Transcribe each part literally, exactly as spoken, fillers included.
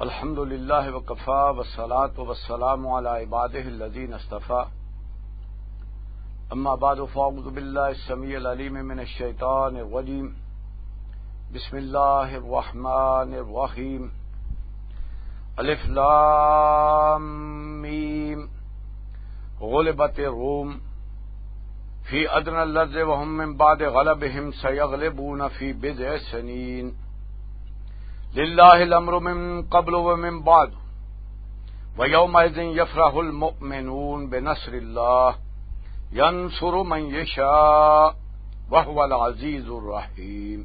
الحمد لله وكفى، والصلاة والسلام على عباده الذين اصطفى. أما بعد، فأعوذ بالله السميع العليم من الشيطان الرجيم. بسم الله الرحمن الرحيم. الف لام ميم. غلبت الروم في أدنى الأرض وهم من بعد غلبهم سيغلبون في بضع سنين. لله الأمر من قبل ومن بعد، ويومئذ يفرح المؤمنون بنصر الله، ينصر من يشاء، وهو العزيز الرحيم.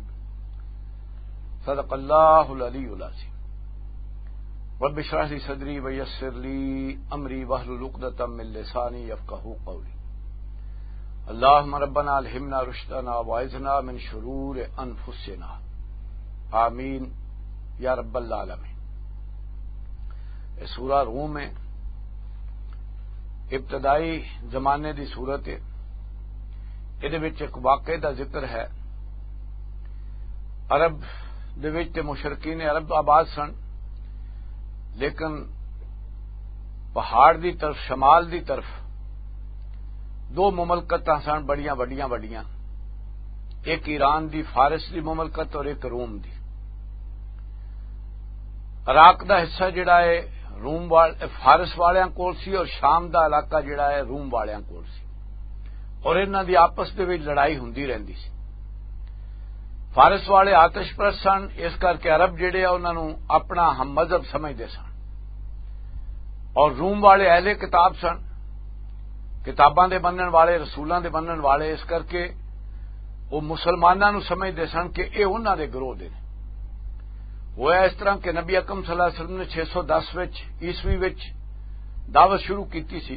صدق الله العلي العظيم. رب اشرح لي صدري ويسر لي أمري واحلل عقدة من لساني يفقهوا قولي. اللهم ربنا ألهمنا رشدنا وأعذنا من شرور أنفسنا. آمين يا رب العالمين. یہ سورہ روم ہے، ابتدائی زمانے دی سورت ہے۔ ادھے وچ ایک واقعے دا ذکر ہے۔ عرب دے وچ تے مشرکین عرب آباد سن، لیکن پہاڑ دی طرف، شمال دی طرف دو مملکتاں سن بڑیاں وڈیاں وڈیاں، ایک ایران دی، فارس دی مملکت اور ایک روم دی۔ عراق دا حصہ جڑا ہے روم وال-، فارس والیاں کول سی اور شام دا علاقہ جڑا ہے روم والیاں کول سی، اور انہاں دی آپس دے وچ لڑائی ہوندی رہندی سی۔ فارس والے آتش پرست سن، اس کر کے عرب جڑے آ انہاں نوں اپنا ہم مذہب سمجھدے سن، اور روم والے اہل کتاب سن، کتاباں دے منن والے، رسولاں دے منن والے، اس کر کے وہ مسلماناں نوں سمجھدے سن کہ اے انہاں دے گروہ دے نے۔ ہویا اس طرح کہ نبی اکرم صلی اللہ علیہ وسلم نے چھ سو دس وچ، عیسوی وچ دعوت شروع کیتی سی،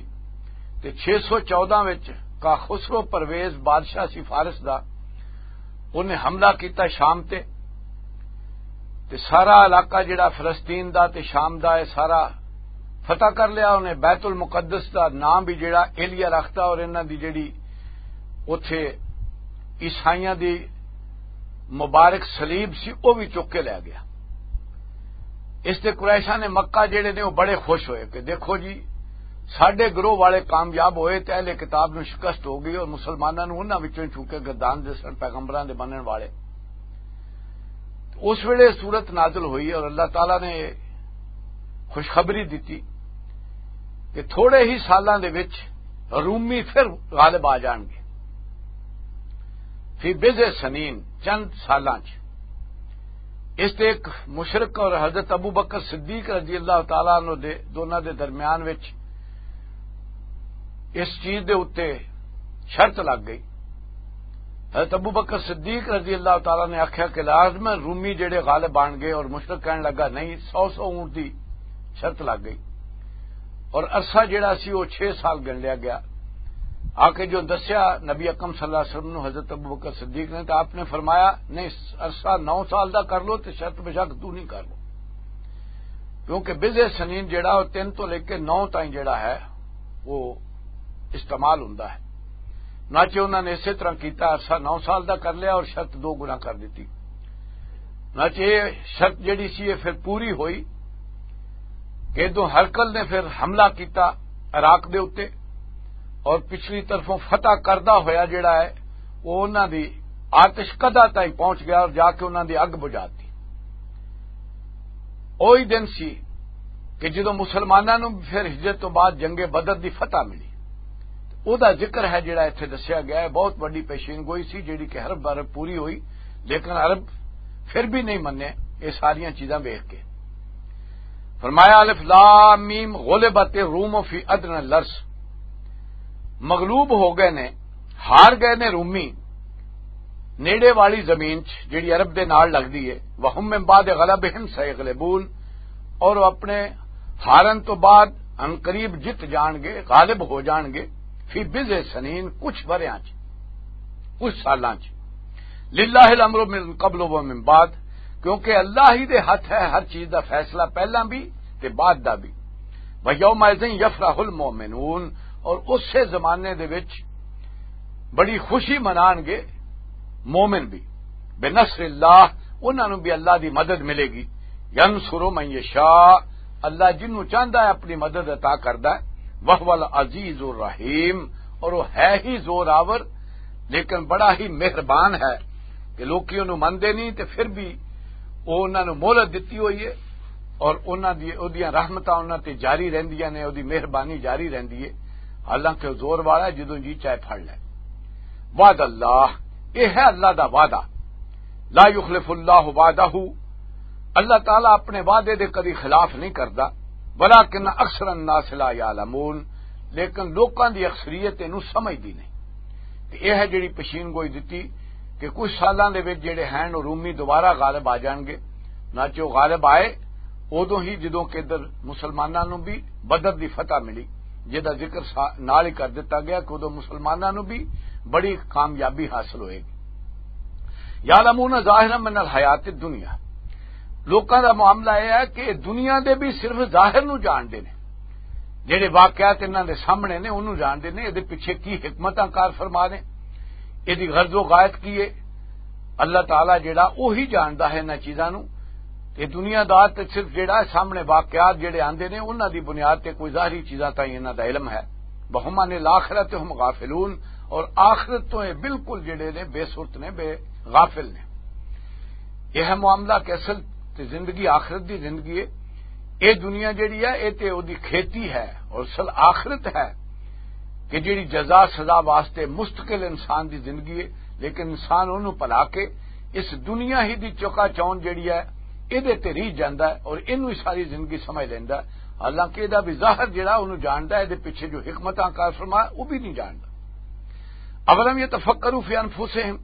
تے چھ سو چودہ وچ کا خسرو پرویز بادشاہ سی فارس دا، انہیں حملہ کیتا شام تے، تے سارا علاقہ جڑا فلسطین دا تے شام دا ہے، سارا فتح کر لیا۔ انہیں بیت المقدس دا نام بھی جڑا ایلیا رکھتا، اور انہاں دی جڑی اوتھے عیسائیاں دی مبارک صلیب سی، او بھی چک کے لے گیا۔ اس تے قریشاں نے مکہ جڑے نے، وہ بڑے خوش ہوئے کہ دیکھو جی، ساڈے گروہ والے کامیاب ہوئے تے اہل کتاب نوں شکست ہو گئی، اور مسلماناں نوں انہاں وچوں ہی چونکہ گردان دے سن، پیغمبراں دے منن والے۔ اس ویلے صورت نازل ہوئی اور اللہ تعالیٰ نے خوشخبری دتی کہ تھوڑے ہی سالاں دے وچ رومی پھر غالب آ جان گے۔ فی بضع سنین، چند سالاں چ۔ اس تے ایک مشرک اور حضرت ابو بکر صدیق رضی اللہ تعالیٰ عنہ دے، دونوں دے درمیان وچ اس چیز دے اُتے شرط لگ گئی۔ حضرت ابو بکر صدیق رضی اللہ تعالیٰ نے آکھیا کہ لازم رومی جڑے غالب آن گئے، اور مشرک کہن لگا، نہیں، سو سو اونٹ دی شرط لگ گئی۔ اور عرصہ جڑا سی، وہ چھ سال گن لیا گیا۔ آ کے جو دسیا نبی اکرم صلی اللہ علیہ وسلم نو حضرت ابو بکر صدیق نے، تو آپ نے فرمایا، نہیں، عرصہ نو سال دا کر لو، تے شرط بشک تو نہیں کر لو۔ کیونکہ بضع سنین جڑا، وہ تین تو لے کے نو تائیں جڑا ہے، وہ استعمال ہوندا ہے۔ ناچے انہاں نے اسی طرح کیتا، عرصہ نو سال دا کر لیا اور شرط دو گنا کر دیتی۔ ناچے یہ شرط جڑی سی، یہ پھر پوری ہوئی کہ ادھوں ہرکل نے پھر حملہ کیتا عراق دے اُتے، اور پچھلی طرفوں فتح کردہ ہویا جڑا ہے، وہ انہاں دی آتش کدہ تائیں پہنچ گیا اور جا کے انہاں دی اگ بجھا دی۔ اوہی دن سی کہ جدوں مسلماناں نوں پھر ہجرت تو بعد جنگ بدر دی فتح ملی۔ او دا ذکر ہے جڑا ایتھے دسیا گیا ہے، بہت وڈی پیشین گوئی سی جڑی کہ ہر بار پوری ہوئی، لیکن عرب پھر بھی نہیں منے یہ ساریاں چیزاں ویکھ کے۔ فرمایا، الف لام میم، غلبت الروم فی ادنی الارض، مغلوب ہو گئے نے، ہار گئے نے رومی نیڑے والی زمین چ جڑی عرب دے نال لگدی ہے، وہم من بعد غلبہم سیغلبون، اور وہ اپنے ہارن تو بعد عنقریب جت جان گے، غالب ہو جان گے، فی بضع سنین، کچھ وریاں چ، کچھ سالاں چ۔ للہ الامر من قبل و من بعد، کیونکہ اللہ ہی دے ہاتھ ہے ہر چیز دا فیصلہ، پہلاں بھی تے بعد دا بھی۔ ویومئذ یفرح المؤمنون، اور اسے زمانے دے وچ بڑی خوشی منان گے مومن بھی، بنصر اللہ، انہاں نوں بھی اللہ دی مدد ملے گی۔ ینصر من یشاء، اللہ جنوں چاہندا ہے اپنی مدد عطا کردا ہے۔ وہو العزیز الرحیم، اور وہ ہے ہی زور آور، لیکن بڑا ہی مہربان ہے کہ لوکی انہوں مندے نہیں تے پھر بھی وہ انہاں نوں مہلت دتی ہوئی ہے، اور انہاں دی، اودیاں رحمتاں انہاں تے جاری رہندیاں نے، اودی مہربانی جاری رہندی ہے۔ حالانکہ وہ زور والا ہے، جدوں جی چاہے پھڑ لے۔ وعد اللہ، یہ ہے اللہ دا وعدہ۔ لا یخلف اللہ وعدہ، اللہ تعالیٰ اپنے وعدے دے کدی خلاف نہیں کردا۔ ولیکن اکثر الناس لا یعلمون، لیکن لوکاں دی اکثریت اینوں سمجھدی نہیں۔ تے یہ ہے جڑی پشین گوئی دتی کہ کچھ سالاں دے وچ جڑے ہیں، وہ رومی دوبارہ غالب آ جان گے۔ نہ چو غالب آئے، ادوں ہی جدوں کہ ادھر مسلماناں نوں بھی بدر دی فتح ملی، جس دا ذکر سا-، نال ہی کر دتا گیا کہ ادوں مسلماناں نوں بھی بڑی کامیابی حاصل ہوئے گی۔ یعلمون ظاہرا من الحیات الدنیا، لوکاں دا معاملہ یہ ہے کہ دنیا دے بھی صرف ظاہر نوں جانتے ہیں، جڑے واقعات انہاں دے سامنے نے انہوں جانتے ہیں، یہ پیچھے کی حکمتاں کار فرما نے، یہ غرض و غایت کی ہے۔ اللہ تعالیٰ جڑا وہی جاندا ہے انہاں چیزاں نوں۔ تے دنیا دار تے صرف جڑا سامنے واقعات جڑے آندے نے، انہاں دی بنیاد تے کوئی ظاہری چیزاں تائیں انہاں دا علم ہے۔ وَهُمْ عَنِ الْآخِرَةِ هُمْ غَافِلُونَ، اور آخرت تو یہ بالکل جڑے نے، بے سرت نے، بے غافل نے۔ یہ ہے معاملہ کہ اصل تے زندگی آخرت دی زندگی ہے۔ یہ دنیا جڑی ہے، یہ تے اودی کھیتی ہے، اور اصل آخرت ہے کہ جڑی جزا سزا واسطے مستقل انسان دی زندگی ہے۔ لیکن انسان انہوں بھلا کے اس دنیا ہی دی چوکا چون جڑی ہے، یہ تے رہ جاندا ہے اور اینوں ہی ساری زندگی سمجھ لیندا ہے۔ حالانکہ یہ بھی ظاہر جڑا انہوں جاندا ہے، یہ پیچھے جو حکمتاں کار فرما، وہ بھی نہیں جاندا۔ اولم یتفکروا فی انفسہم،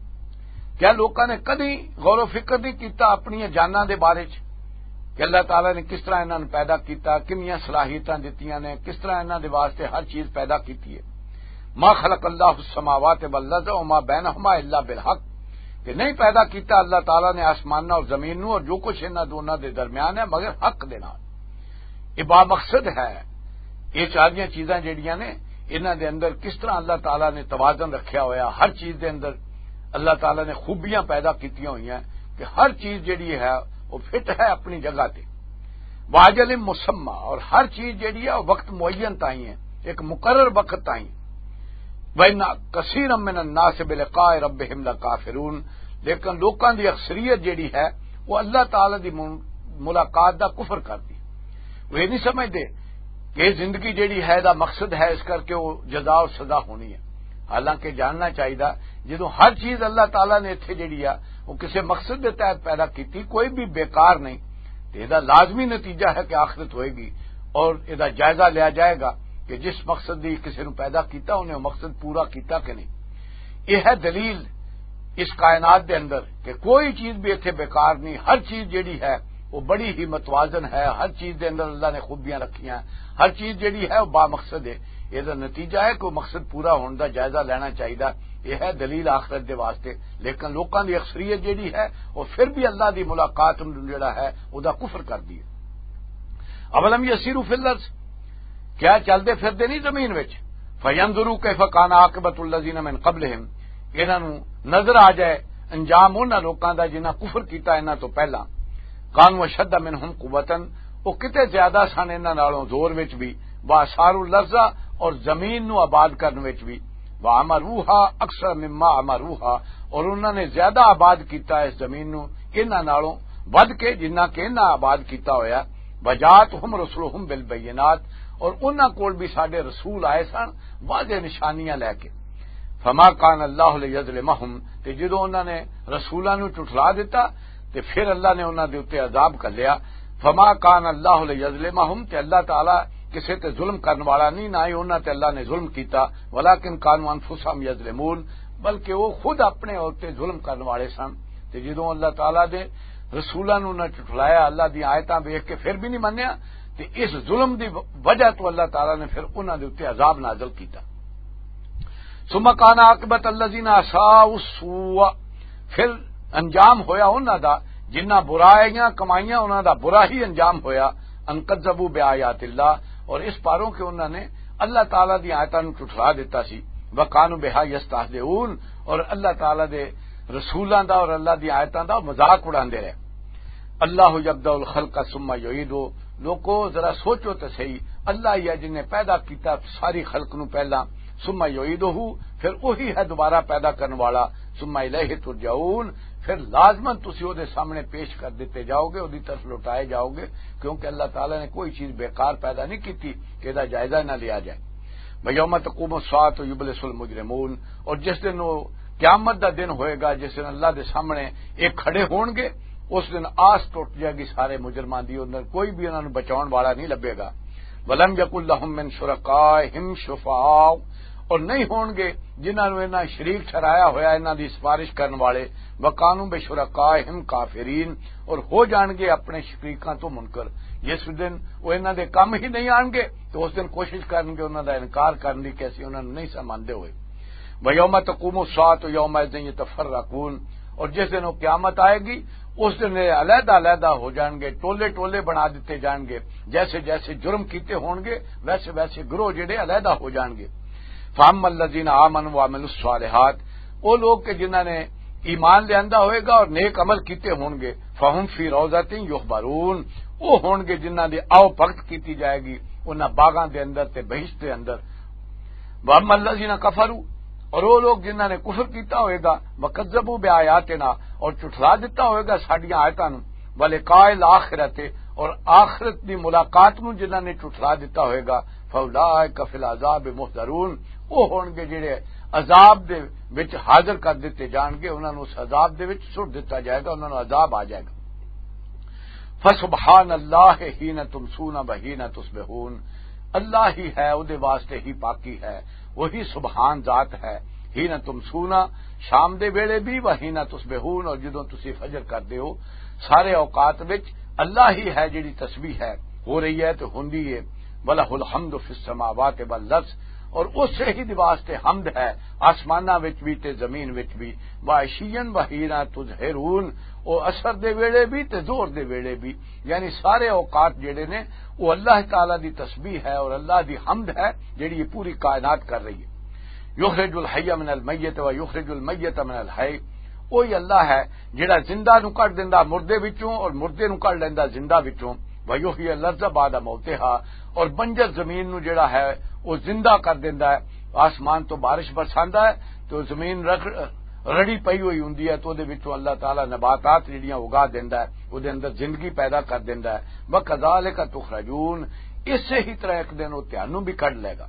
کیا لوکاں نے کدی غور و فکر نہیں کیتا اپنی جاناں دے بارے چ کہ اللہ تعالیٰ نے کس طرح انہاں نوں پیدا کیتا، کنیاں صلاحیتاں دتیاں نے، کس طرح انہاں دے واسطے ہر چیز پیدا کیتی ہے؟ ما خلق اللہ السماوات والارض وما بینہما الا بالحق، کہ نہیں پیدا کیتا اللہ تعالیٰ نے آسماناں اور زمین نوں اور جو کچھ انہاں دونوں دے درمیان ہے مگر حق دے نال۔ یہ با مقصد ہے۔ یہ ساریاں چیزاں جڑیاں نے، انہاں دے اندر کس طرح اللہ تعالیٰ نے توازن رکھیا ہویا، ہر چیز دے اندر اللہ تعالیٰ نے خوبیاں پیدا کیتیاں ہوئی ہیں کہ ہر چیز جڑی ہے، وہ فٹ ہے اپنی جگہ تے۔ واجل مسمى، اور ہر چیز جڑی ہے، وہ وقت معین تائیں ہے، ایک مقرر وقت تائیں۔ وَإِنَّ كَثِيرًا مِنَ النَّاسِ بِلِقَاءِ رَبِّهِمْ لَكَافِرُونَ، لیکن لوکاں دی اکثریت جڑی ہے، وہ اللہ تعالیٰ دی مل-، ملاقات دا کفر کر دی۔ وہ یہ نہیں سمجھدے کہ یہ زندگی جڑی ہے، دا مقصد ہے، اس کر کے وہ جزا اور سزا ہونی ہے۔ حالانکہ جاننا چاہیے، جدوں ہر چیز اللہ تعالیٰ نے اتھے جڑی ہے، وہ کسے مقصد دے تحت پیدا کیتی، کوئی بھی بیکار نہیں۔ تے یہ لازمی نتیجہ ہے کہ آخرت ہوئے گی اور یہ جائزہ لیا جائے گا کہ جس مقصد دی کسے نوں پیدا کیتا، انہیں وہ مقصد پورا کیتا کہ نہیں۔ یہ ہے دلیل اس کائنات دے اندر کہ کوئی چیز بھی اتھے بیکار نہیں، ہر چیز جڑی ہے وہ بڑی ہی متوازن ہے، ہر چیز دے اندر اللہ نے خوبیاں رکھیاں، ہر چیز جڑی ہے وہ با مقصد ہے۔ یہ نتیجہ ہے کہ وہ مقصد پورا ہونے دا جائزہ لینا چاہیے۔ یہ ہے دلیل آخرت دے واسطے۔ لیکن لوکاں دی اکثریت جڑی ہے، وہ پھر بھی اللہ دی ملاقات نوں جڑا ہے، وہ دا کفر کر دی ہے۔ اولم یسیروا فی الارض، کیا چلدے پھردے نہیں زمین وچ؟ فینظروا کیف کان عاقبۃ الذین من قبلہم، انہاں نوں نظر آ جائے انجام انہاں لوکاں دا جنہاں کفر کیتا انہاں تو پہلا۔ کانوا اشد منہم قوۃ، وہ کتے زیادہ سن انہاں نالوں زور وچ بھی، واثاروا الارض، اور زمین نو آباد کرن وچ بھی، وعمروہا اکثر مما عمروہا، اور انہاں نے زیادہ آباد کیتا اس زمین نو انہاں نالوں ودھ کے جنہ کہ انہاں آباد کیتا ہویا۔ وجاءتہم رسلہم بالبینات، اور انہاں کول بھی ساڈے رسول آئے سن واضح نشانیاں لے کے۔ فما کان اللہ لیظلمہم، تے جدوں انہاں نے رسولاں نوں جھٹلا دتا تے پھر اللہ نے انہاں دے اُتے عذاب گھلیا۔ فما کان اللہ لیظلمہم، تے اللہ تعالیٰ کسے تے ظلم کرن والا نہیں، نہ ہی انہاں تے اللہ نے ظلم کیتا، ولیکن کانوا انفسہم یظلمون، بلکہ وہ خود اپنے اُتے ظلم کرن والے سن۔ تے جدوں اللہ تعالیٰ دے رسولاں نوں انہاں جھٹلایا، اللہ دی آیتاں ویکھ کے پھر بھی نہیں منیا، تے اس ظلم دی وجہ تو اللہ تعالیٰ نے پھر انہاں دے اُتے عذاب نازل کیتا۔ ثم کان عاقبۃ الذین اساءوا السوء، پھر انجام ہویا انہاں دا، جنہاں برائیاں کمائیاں، انہاں دا برا ہی انجام ہویا۔ ان کذبوا بآیات اللہ، اور اس پاروں کہ انہاں نے اللہ تعالیٰ دی آیتاں نوں جھٹلا دیتا سی۔ وکانوا بہا یستہزئون، اور اللہ تعالیٰ دے رسولاں دا اور اللہ دی آیتاں دا مذاق اڑاندے رہے۔ اللہ یبدأ الخلق ثم یعیدہ۔ لوکو، ذرا سوچو تے صحیح، اللہ ہی ہے جن نے پیدا کیتا ساری خلق نو پہلا، ثم یعیدہ، پھر وہی ہے دوبارہ پیدا کرن والا، ثم الیہ ترجعون، پھر لازماً تسی او دے سامنے پیش کر دتے جاؤ گے، او دی طرف لوٹائے جاؤ گے، کیونکہ اللہ تعالیٰ نے کوئی چیز بیکار پیدا نہیں کیتی کہ دا جائزہ نہ لیا جائے۔ وَيَوْمَ تَقُومُ السَّاعَةُ يُبْلِسُ الْمُجْرِمُونَ، اور جس دن وہ قیامت دا دن ہوئے گا، جس دن اللہ دے سامنے ایک کھڑے ہون گے، اس دن آس ٹوٹ جائے گی سارے مجرماں دی، اندر کوئی بھی انہاں نوں بچاؤن والا نہیں لبے گا۔ وَلَمْ يَكُنْ لَهُمْ مِنْ شُرَكَائِهِمْ شُفَعَاءُ، اور نہیں ہون گے جنہاں نوں انہاں شریک ٹھہرایا ہویا، انہاں دی سفارش کرن والے، وَكَانُوا بِشُرَكَائِهِمْ كَافِرِينَ، اور ہو جان گے اپنے شریکاں تو منکر۔ جس دن وہ انہاں دے کم ہی نہیں آن گے، تو اس دن کوشش کرن گے انہاں دا انکار کرن دی کہ اسی انہاں نوں نہیں سمجھدے ہوئے۔ وَيَوْمَ تَقُومُ السَّاعَةُ يَوْمَئِذٍ يَتَفَرَّقُونَ، اور جس دن وہ قیامت آئے گی، اس دن یہ علیحدہ علیحدہ ہو جان گے، ٹولے ٹولے بنا دیتے جان گے، جیسے جیسے جرم کیتے ہون گے، ویسے ویسے گروہ جڑے علیحدہ ہو جان گے۔ فَأَمَّا الَّذِينَ آمَنُوا وَعَمِلُوا الصَّالِحَاتِ، وہ لوگ کہ جنہاں نے ایمان لیاندا ہوئے گا اور نیک عمل کیتے ہون گے، فَهُمْ فِي رَوْضَةٍ يُحْبَرُونَ، وہ ہون گے جنہاں دی آؤ بھگت کیتی جائے گی انہاں باغاں دے اندر تے بہشت دے اندر۔ وَأَمَّا الَّذِينَ كَفَرُوا، اور وہ لوگ جنہاں نے کفر کیتا ہوئے گا، وَكَذَّبُوا بِآيَاتِنَا، اور جھٹلا دتا ہوئے گا ساڈیاں آیتاں نوں، وَلِقَاءِ الْآخِرَةِ، اور آخرت دی ملاقات نوں جنہاں نے جھٹلا دتا ہوئے گا، فَأُولَٰئِكَ فِي الْعَذَابِ مُحْضَرُونَ، وہ ہون گے جڑے عذاب دے وچ حاضر کر دتے جان گے، انہاں نوں اس عذاب دے وچ سٹ دتا جائے گا، انہاں نوں عذاب آ جائے گا۔ فَسُبْحَانَ اللَّهِ حِينَ تُمْسُونَ وَحِينَ تُصْبِحُونَ، اللہ ہی ہے، او دے واسطے ہی پاکی ہے، وہی سبحان ذات ہے۔ حِينَ تُمْسُونَ، شام دے ویلے بھی، وَحِينَ تُصْبِحُونَ، اور جدوں تسی فجر کردے ہو، سارے اوقات وچ اللہ ہی ہے جڑی تسبیح ہے، ہو رہی ہے تے ہوندی ہے۔ وَلَهُ الْحَمْدُ فِي السَّمَاوَاتِ وَالْأَرْضِ، اور اسے ہی دے واسطے حمد ہے آسماناں وچ بھی تے زمین وچ بھی۔ وَعَشِيًّا وَحِينَ تُظْهِرُونَ، او اثر دے ویلے بھی تے زور دے ویلے بھی، یعنی سارے اوقات جڑے نے، او اللہ تعالیٰ دی تسبیح ہے اور اللہ دی حمد ہے جڑی یہ پوری کائنات کر رہی ہے۔ يُخْرِجُ الْحَيَّ مِنَ الْمَيِّتِ وَيُخْرِجُ الْمَيِّتَ مِنَ الْحَيِّ، وہی اللہ ہے جڑا زندہ نوں کڈ دیندا مردے وچوں اور مردے نوں کڈ لیندا زندہ وچوں۔ وَيُحْيِي الْأَرْضَ بَعْدَ مَوْتِهَا، اور بنجر زمین نوں جڑا ہے، وہ زندہ کر دیندا ہے، آسمان تو بارش برساندا ہے، تو زمین رکھ-، رڑی پئی ہوئی ہوندی ہے، تو دے وچوں اللہ تعالیٰ نباتات جڑیاں اگا دیندا ہے، او دے اندر زندگی پیدا کر دیندا ہے۔ وَكَذَلِكَ تُخْرَجُونَ، اسے ہی طرح ایک دن وہ تہانوں بھی کڈ لے گا۔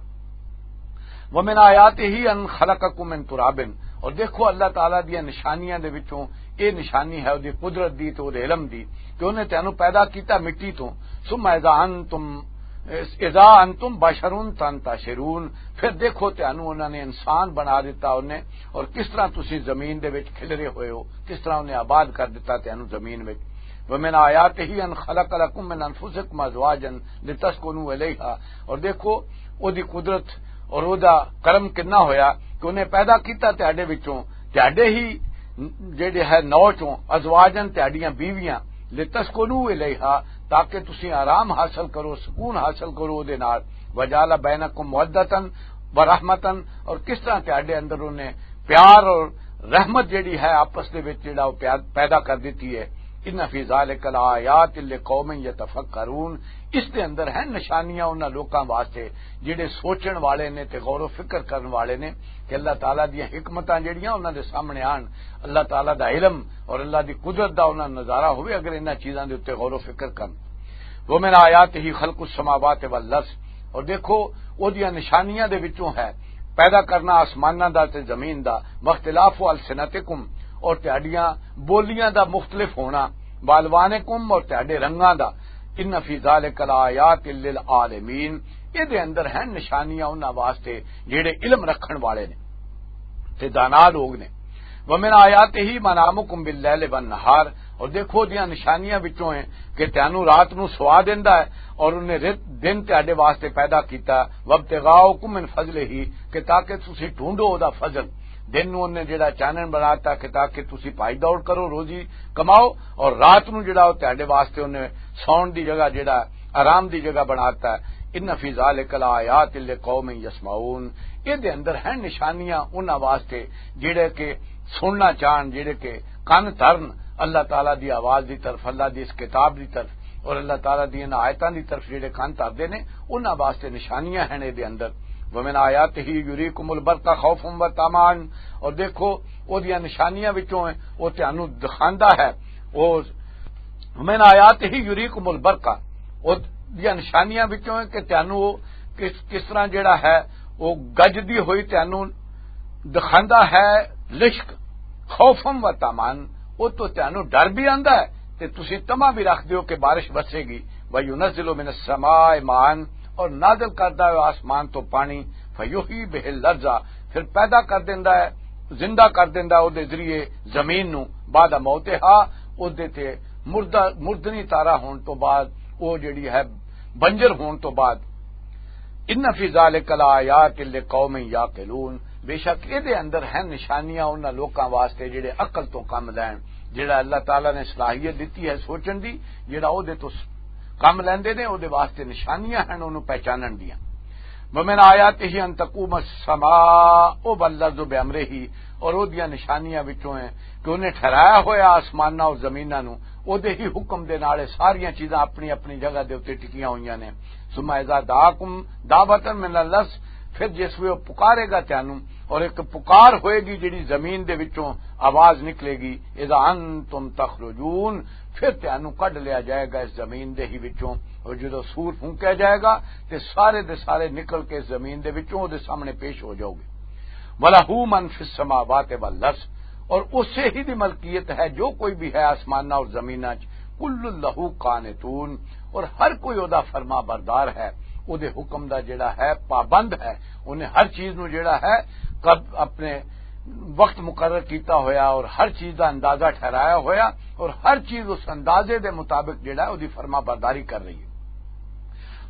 وَمِنْ آيَاتِهِ أَنْ خَلَقَكُمْ مِنْ تُرَابٍ، اور دیکھو اللہ تعالیٰ دیاں نشانیاں دے وچوں، اے نشانی ہے اودی قدرت دی تے اودے علم دی، کہ انہیں تانوں پیدا کیتا مٹی تو۔ ثُمَّ إِذَا أَنْتُمْ، إِذَا أَنْتُمْ بَشَرٌ تَنْتَشِرُونَ، پھر دیکھو تانوں انہاں نے انسان بنا دیتا انہیں، اور کس طرح تسی زمین دے وچ کھلرے ہوئے ہو، کس طرح انہیں آباد کر دیتا تانوں زمین وچ۔ وَمِنْ آيَاتِهِ أَنْ خَلَقَ لَكُمْ مِنْ أَنْفُسِكُمْ أَزْوَاجًا لِتَسْكُنُوا إِلَيْهَا، اور دیکھو، او دی قدرت اور او دا کرم کتنا ہویا کہ انہیں پیدا کیتا تہاڈے وچوں، تہاڈے ہی جڑے ہے نو چوں، ازواجن، تہاڈیاں بیویاں، لِتَسْكُنُوا إِلَيْهَا، تاکہ تسی آرام حاصل کرو، سکون حاصل کرو او دے نال۔ وَجَعَلَ بَيْنَكُمْ مَوَدَّةً وَرَحْمَةً، اور کس طرح تہاڈے اندر انہیں پیار اور رحمت جڑی ہے آپس دے وچ جڑا وہ پیا-، پیدا کر دیتی ہے۔ ان فی ذالک لآیات لقوم یتفکرون، اس دے اندر ہیں نشانیاں انہاں لوکاں واسطے جڑے سوچن والے نے تے غور و فکر کرن والے نے کہ اللہ تعالیٰ دیاں حکمتاں جڑیاں انہاں دے سامنے آن، اللہ تعالیٰ دا علم اور اللہ دی قدرت دا انہاں نظارہ ہوئے اگر انہاں چیزاں دے اُتے غور و فکر کرن۔ وَمِنْ آيَاتِهِ خَلْقُ السَّمَاوَاتِ وَالْأَرْضِ، اور دیکھو، او دیاں نشانیاں دے وچوں ہے پیدا کرنا آسماناں دا تے زمین دا، وَاخْتِلَافُ أَلْسِنَتِكُمْ، اور تہاڈیاں بولیاں دا مختلف ہونا، وَأَلْوَانِكُمْ، اور تہاڈے رنگاں دا، إِنَّ فِي ذَلِكَ لَآيَاتٍ لِلْعَالَمِينَ، اے دے اندر ہیں نشانیاں انہاں واسطے جڑے علم رکھن والے نے تے دانا لوگ نے۔ وَمِنْ آيَاتِهِ مَنَامُكُمْ بِاللَّيْلِ وَالنَّهَارِ، اور دیکھو دیاں نشانیاں وچوں ہیں کہ تانوں رات نوں سوا دیندا ہے اور انہیں رت-، دن تہاڈے واسطے پیدا کیتا، وَابْتِغَاءُكُمْ مِنْ فَضْلِهِ، کہ تاکہ تسی ڈھونڈو او دا فضل۔ دن نوں انہیں جڑا چانن بناتا کہ تاکہ تسی پائی دوڑ کرو، روزی کماؤ، اور رات نوں جڑا او تہاڈے واسطے انہیں سون دی جگہ جڑا آرام دی جگہ بناتا ہے۔ ان فی ذالک لآیات لقوم یسمعون، اے دے اندر ہیں نشانیاں انہاں واسطے جڑے کہ سننا چاہن، جڑے کہ کن ترن۔ اللہ تعالیٰ دی آواز دی طرف، اللہ دی اس کتاب دی طرف اور اللہ تعالیٰ دی انہاں آیتاں دی طرف جڑے کان تردے نے، انہاں واسطے نشانیاں ہیں اے دے اندر۔ ومن آیاتہ یریکم البرق خوفا و طمعا، اور دیکھو، او دیاں نشانیاں وچوں ہے، او تانوں دکھاندا ہے۔ او من آیاتہ یریکم البرق، او دیاں نشانیاں وچوں ہے کہ تانوں او کس، کس طرح جڑا ہے، او گجدی ہوئی تانوں دکھاندا ہے لشک، خوفا و طمعا، او تو تانوں ڈر بھی آندا ہے تے تسی تما بھی رکھ دیو کہ بارش وسے گی۔ وَيُنَزِّلُ مِنَ السَّمَاءِ مَاءً، اور نازل کردا ہے آسمان تو پانی، فَيُحْيِي بِهِ الْأَرْضَ، پھر پیدا کر دیندا ہے، زندہ کر دیندا ہے او دے ذریعے زمین نو، بعد موتہا، او دے تے مردہ، مردنی تارا ہون تو بعد، او جڑی ہے بنجر ہون تو بعد۔ ان فی ذالک لآیات لقوم یعقلون، بے شک اے دے اندر ہیں نشانیاں انہاں لوکاں واسطے جڑے عقل تو کم لین، جڑا اللہ تعالیٰ نے صلاحیت دتی ہے سوچن دی، جڑا او دے تو س-، کم لیندے نے، او دے واسطے نشانیاں ہیں انہوں پہچانن دیاں۔ ومن آیاتہ ان تقوم السماء والارض بامرہ، اور او دیاں نشانیاں وچوں ہیں کہ انہیں ٹھہرایا ہویا آسماناں اور زمیناں نو، او دے ہی حکم دے نال اے ساریاں چیزاں اپنی اپنی جگہ دے اُتے ٹکیاں ہوئیاں نے۔ ثم اذا دعاکم دعوة من الارض، پھر جس ویلے او پکارے گا تانوں، اور ایک پکار ہوئے گی جڑی زمین دے وچوں آواز نکلے گی، اذا انتم تخرجون، پھر تانوں کڈ لیا جائے گا اس زمین دے ہی وچوں، اور جدوں سور پھونکیا جائے گا تے سارے دے سارے نکل کے زمین دے وچوں او دے سامنے پیش ہو جاؤ گے۔ وَلَهُ مَنْ فِي السَّمَاوَاتِ وَالْأَرْضِ، اور اسے ہی دی ملکیت ہے جو کوئی بھی ہے آسماناں اور زمیناں چ، كُلٌّ لَهُ قَانِتُونَ، اور ہر کوئی او دا فرما بردار ہے، او دے حکم دا جڑا ہے پابند ہے، انہیں ہر چیز نو جڑا ہے کب اپنے وقت مقرر کیتا ہویا اور ہر چیز دا اندازہ ٹھہرایا ہویا اور ہر چیز اس اندازے دے مطابق جڑا ہے او دی فرما برداری کر رہی ہے۔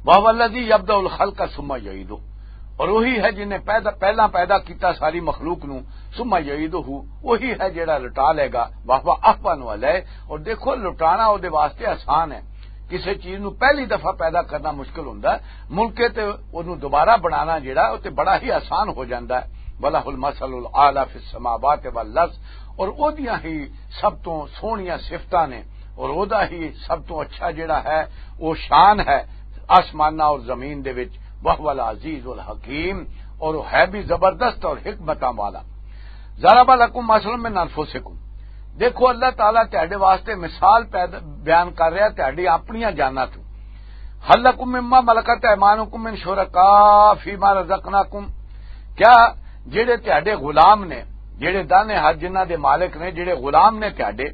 وَهُوَ الَّذِي يَبْدَأُ الْخَلْقَ ثُمَّ يُعِيدُهُ، اور وہی ہے جن نے پیدا، پہلا پیدا کیتا ساری مخلوق نو، ثُمَّ يُعِيدُهُ، وہی ہے جڑا لٹا لے گا، وَهُوَ أَهْوَنُ عَلَيْهِ، اور دیکھو لٹانا او دے واسطے آسان ہے، کسے چیز نو پہلی دفعہ پیدا کرنا مشکل ہوندا ہے، ملکے تے اونوں دوبارہ بنانا جڑا او تے بڑا ہی آسان ہو جاندا ہے۔ وَلَهُ الْمَثَلُ الْأَعْلَى فِي السَّمَاوَاتِ وَالْأَرْضِ، اور او دیاں ہی سب تو سوہنیاں صفتاں نے، اور او دا ہی سب تو اچھا جڑا ہے، او شان ہے آسماناں اور زمین دے وچ، وَهُوَ الْعَزِيزُ الْحَكِيمُ، اور او ہے بھی زبردست اور حکمتاں والا۔ ضَرَبَ لَكُم مَّثَلًا مِّنْ أَنفُسِكُمْ، دیکھو اللہ تعالیٰ تہاڈے واسطے مثال پیدا، بیان کر رہا تہاڈی اپنیاں جاناں تو۔ هَلْ لَكُم مِّمَّا مَلَكَتْ أَيْمَانُكُم مِّن شُرَكَاءَ فِيمَا رَزَقْنَاكُمْ، کیا جڑے تہاڈے غلام نے، جڑے دانے ہاتھ جنہاں دے مالک نے، جڑے غلام نے تہاڈے،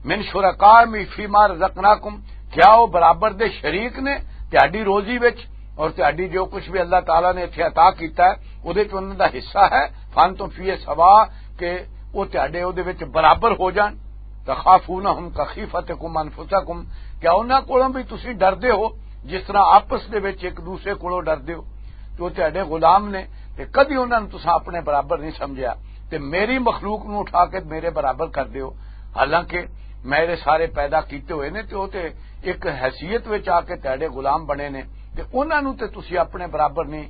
مِّن شُرَكَاءَ فِيمَا رَزَقْنَاكُمْ، کیا وہ برابر دے شریک نے تہاڈی روزی وچ اور تہاڈی جو کچھ بھی اللہ تعالیٰ نے اتھے عطا کیتا ہے، اودے چ انہاں دا حصہ ہے؟ فَأَنتُمْ فِيهِ سَوَاءٌ، کہ وہ تہاڈے اودے وچ برابر ہو جان۔ تَخَافُونَهُمْ كَخِيفَتِكُمْ أَنفُسَكُمْ، کیا انہاں کولوں بھی تسی ڈردے ہو جس طرح آپس دے وچ ایک دوسرے کولوں ڈردے ہو؟ کہ وہ تہاڈے غلام نے تے کدی انہاں نوں تساں اپنے برابر نہیں سمجھیا، تے میری مخلوق نوں اٹھا کے میرے برابر کر دیو، حالانکہ میرے سارے پیدا کیتے ہوئے نے تے وہ تے ایک حیثیت وچ آ کے تہاڈے غلام بنے نے، تے انہاں نوں تے تسی اپنے برابر نہیں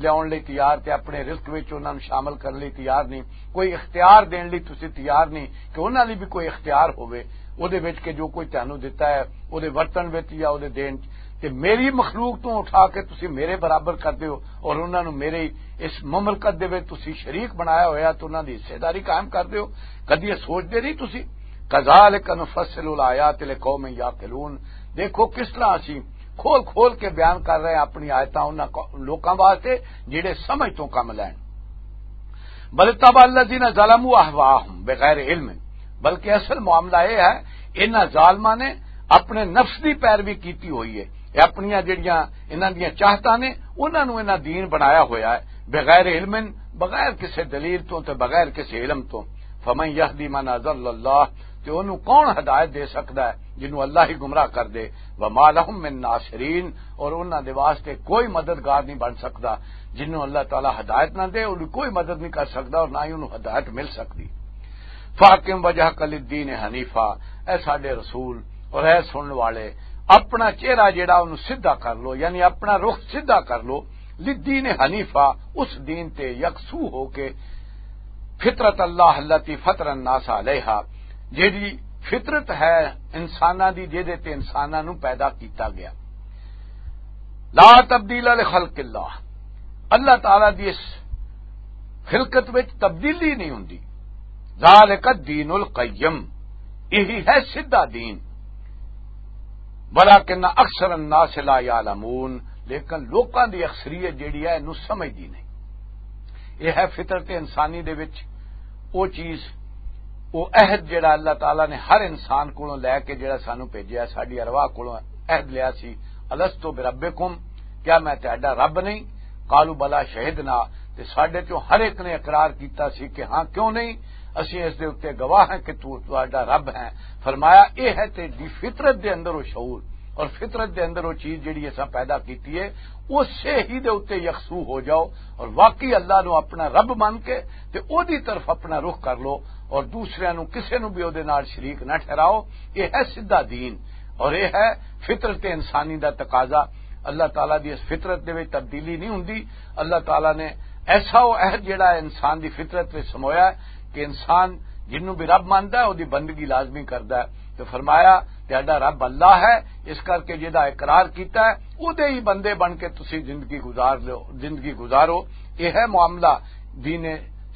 لیاون لئی تیار، تے اپنے رزق وچ انہاں نوں شامل کرن لئی تیار نہیں، کوئی اختیار دین لئی تسی تیار نہیں کہ انہاں لئی بھی کوئی اختیار ہووے، او دے وچ کہ جو کوئی تانوں دتا ہے، او دے ورتن وچ یا او دے دین چ۔ تے میری مخلوق تو اٹھا کے تسی میرے برابر کر دیو اور انہاں نوں میرے اس مملکت دے وچ تسی شریک بنایا ہویا تے انہاں دی حصے داری قائم کر دیو۔ کدی یہ سوچدے نہیں تسی؟ کذالک نفصل الآیات لقوم یعقلون۔ دیکھو کس طرح اسی کھول کھول کے بیان کر رہے ہیں اپنی آیتاں انہاں کو-، لوکاں واسطے جڑے سمجھ تو کم لین۔ بل اتبع الذین ظلموا اہواءہم بغیر علم، بلکہ اصل معاملہ یہ ہے، انہاں ظالماں نے اپنے نفس دی پیروی کیتی ہوئی ہے، یہ اپنیاں جڑیاں انہاں دیاں چاہتاں نے، انہاں نوں انہاں دین بنایا ہویا ہے، بغیر علم، بغیر کسے دلیل تو تے بغیر کسے علم تو۔ فمن یہدی من اضل اللہ، تے انہوں کون ہدایت دے سکدا ہے جنہوں اللہ ہی گمراہ کر دے؟ وما لہم من ناصرین، اور انہاں دے واسطے کوئی مددگار نہیں بن سکدا۔ جنہوں اللہ تعالیٰ ہدایت نہ دے، انہوں کوئی مدد نہیں کر سکدا اور نہ ہی انہوں ہدایت مل سکدی۔ فاقم وجہ کل دین حنیفہ، اے ساڈے رسول اور اے سنن والے، اپنا چہرہ جڑا انہوں سیدھا کر لو، یعنی اپنا رخ سیدھا کر لو، للدین حنیفہ، اس دین تے یکسو ہو کے، فطرت اللہ التی فطر الناس علیہا، جیڑی فطرت ہے انساناں دی، جہدے تے انساناں نوں پیدا کیتا گیا۔ لا تبدیل لخلق اللہ، اللہ تعالیٰ دی اس خلقت وچ تبدیلی نہیں ہوندی۔ ذالک الدین القیم، یہی ہے سیدھا دین۔ ولکن اکثر الناس لا یعلمون، لیکن لوکاں دی اکثریت جیڑی ہے، اینوں سمجھدی نہیں۔ یہ ہے فطرت انسانی دے وچ وہ چیز، وہ عہد جڑا اللہ تعالیٰ نے ہر انسان کولوں لے کے جڑا سانو بھیجیا، ساڈی ارواح کولوں عہد لیا سی، "الست بربکم"، کیا میں تہاڈا رب نہیں؟ قالوا بلا شہدنا، تے ساڈے چوں ہر ایک نے اقرار کیتا سی کہ ہاں، کیوں نہیں، اسی اس دے اُتے گواہ ہیں کہ تو تہاڈا رب ہے۔ فرمایا، یہ ہے تیری فطرت دے اندر وہ شعور، اور فطرت دے اندر وہ چیز جڑی اساں پیدا کیتی ہے، اسے ہی دے اُتے یکسو ہو جاؤ، اور واقعی اللہ نو اپنا رب من کے تے او دی طرف اپنا رخ کر لو، اور دوسرے نو، کسے نو بھی او دے نال شریک نہ ٹھہراؤ۔ یہ ہے سیدھا دین، اور یہ ہے فطرت انسانی دا تقاضا۔ اللہ تعالیٰ دی اس فطرت دے وچ تبدیلی نہیں ہوندی۔ اللہ تعالیٰ نے ایسا وہ عہد جڑا انسان دی فطرت وچ سمویا ہے کہ انسان جنوں بھی رب ماندا ہے، او دی بندگی لازمی کردا ہے۔ تو فرمایا، "تہاڈا رب اللہ ہے، اس کر کے جہدا اقرار کیتا ہے، او دے ہی بندے بن کے تسی زندگی گزار لو، زندگی گزارو۔" یہ ہے معاملہ، دین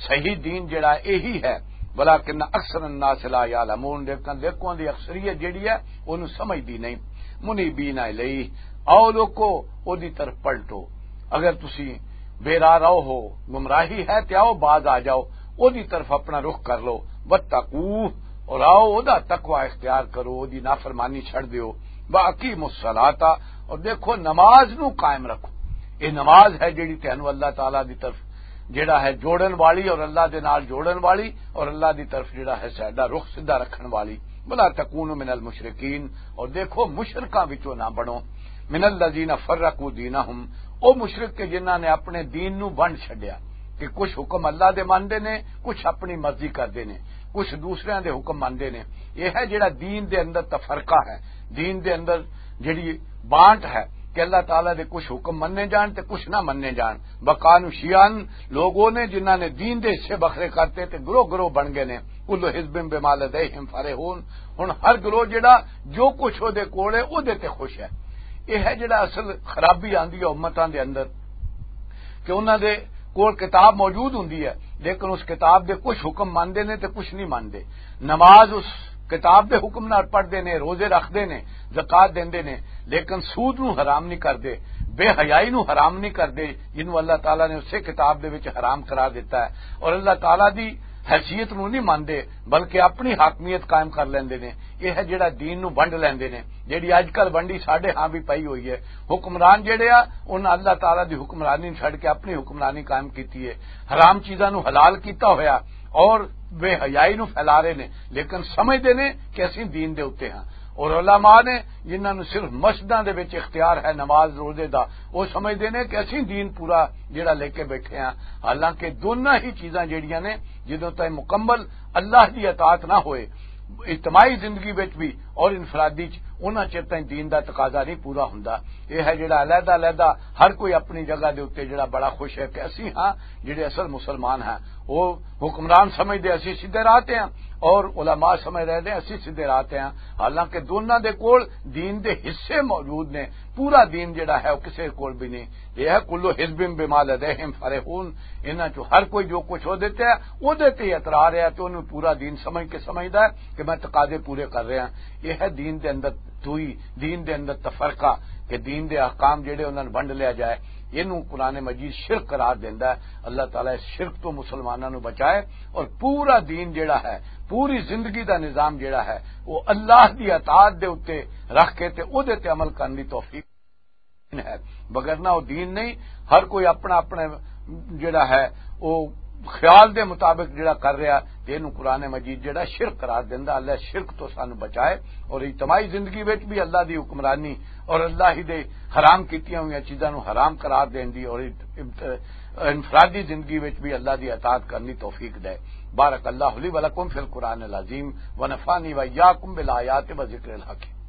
صحیح دین جڑا یہی ہے۔ ولکن اکثر الناس لا یعلمون، لیکن لوکاں دی اکثریت جڑی ہے، اونوں سمجھدی نہیں۔ منیبین الیہ، آؤ لوکو، او دی طرف پلٹو۔ اگر تسی بے راہ رو ہو، گمراہی ہے، تے آؤ باز آ جاؤ، او دی طرف اپنا رخ کر لو۔ واتقوہ، اور آؤ او دا تقوی اختیار کرو، او دی نافرمانی چھڑ دیو۔ واقیموا الصلاۃ، اور دیکھو نماز نو قائم رکھو۔ یہ نماز ہے جڑی تینوں اللہ تعالیٰ دی طرف جڑا ہے جوڑن والی، اور اللہ دے نال جوڑن والی، اور اللہ دی طرف جڑا ہے ساڈا رخ سیدھا رکھن والی۔ ولا تکونوا من المشرکین، اور دیکھو مشرکاں وچوں نہ بنو۔ من الذین فرقوا دینہم، او مشرک کہ جنہاں نے اپنے دین نو ونڈ چھڈیا، کہ کچھ حکم اللہ دے مندے نے، کچھ اپنی مرضی کردے نے، کچھ دوسریاں دے حکم مندے نے۔ یہ ہے جڑا دین دے اندر تفرقہ ہے، دین دے اندر جڑی بانٹ ہے کہ اللہ تعالیٰ دے کچھ حکم مننے جان تے کچھ نہ مننے جان۔ وکانوا شیعا، لوگ وہ نے جنہاں نے دین دے حصے بکھرے کرتے تے گروہ گروہ بن گئے نے۔ کل حزب بما لدیہم فرحون، ہن ہر گروہ جڑا جو کچھ او دے کول ہے، او دے تے خوش ہے۔ یہ ہے جڑا اصل خرابی آندی ہے امتاں دے اندر، کہ انہاں دے کول کتاب موجود ہوندی ہے، لیکن اس کتاب دے کچھ حکم مندے نے تے کچھ نہیں مندے۔ نماز اس کتاب دے حکم نال پڑھدے نے، روزے رکھدے نے، زکوٰۃ دیندے نے، لیکن سود نو حرام نہیں کردے، بے حیائی نو حرام نہیں کردے، جنوں اللہ تعالیٰ نے اسے کتاب دے وچ حرام قرار دیتا ہے۔ اور اللہ تعالیٰ دی حیثیت نو نہیں مندے، بلکہ اپنی حاکمیت قائم کر لیندے نے۔ یہ ہے جڑا دین نو ونڈ لیندے نے، جڑی اج کل ونڈی ساڈے ہاں بھی پئی ہوئی ہے۔ حکمران جڑے آ، انہاں اللہ تعالیٰ دی حکمرانی نو چھڈ کے اپنی حکمرانی قائم کیتی ہے، حرام چیزاں نو حلال کیتا ہویا، اور بے حیائی نو پھیلا رہے نے، لیکن سمجھدے نے کہ اسی دین دے اُتے ہاں۔ اور علماء نے جنہاں نو صرف مسجداں دے وچ اختیار ہے نماز روزے دا، وہ سمجھدے نے کہ اسی دین پورا جڑا لے کے بیٹھے ہاں۔ حالانکہ دونوں ہی چیزاں جڑیاں نے، جدوں تائیں مکمل اللہ دی اطاعت نہ ہوئے، اجتماعی زندگی وچ بھی اور انفرادی چ، انہاں چر تائیں دین دا تقاضا نہیں پورا ہوندا۔ یہ ہے جڑا علیحدہ علیحدہ ہر کوئی اپنی جگہ دے اُتے جڑا بڑا خوش ہے کہ اسی ہاں جڑے اصل مسلمان ہیں، وہ حکمران سمجھدے اسی سیدھے راہ تے ہیں، اور علماء سمجھ رہے ہیں اسی سیدھے راہ تے ہیں۔ حالانکہ دونوں دے کول دین دے حصے موجود نے، پورا دین جڑا ہے وہ کسے کول بھی نہیں۔ یہ ہے کلو حزب بما لدیہم فرحون، انہاں چوں ہر کوئی جو کچھ ہو دیتے ہیں، وہ دیتے ہی اترا رہا ہے، تو انہوں پورا دین سمجھ کے سمجھدا ہے کہ میں تقاضے پورے کر رہا ہاں۔ یہ ہے دین دے اندر دوئی، دین دے اندر تفرقہ، کہ دین دے احکام جڑے انہاں نوں ونڈ لیا جائے۔ اینوں قرآن مجید شرک قرار دیندا ہے۔ اللہ تعالیٰ اس شرک تو مسلماناں نوں بچائے، اور پورا دین جڑا ہے، پوری زندگی دا نظام جڑا ہے، وہ اللہ دی اطاعت دے اُتے رکھ کے تے او دے تے عمل کرن دی توفیق ہے۔ بغیر نہ وہ دین نہیں، ہر کوئی اپنا اپنا جڑا ہے، وہ خیال دے مطابق جڑا کر رہا، تے اینوں قرآن مجید جڑا شرک قرار دیندا۔ اللہ شرک تو سانو بچائے، اور اجتماعی زندگی وچ بھی اللہ دی حکمرانی اور اللہ ہی دے حرام کیتیاں ہوئیاں چیزاں نوں حرام قرار دین دی، اور انفرادی زندگی وچ بھی اللہ دی اطاعت کرنی توفیق دے۔ بارک اللہ لی و لکم فی القرآن العظیم، و نفعنی و ایاکم بالآیات و ذکر الحکیم۔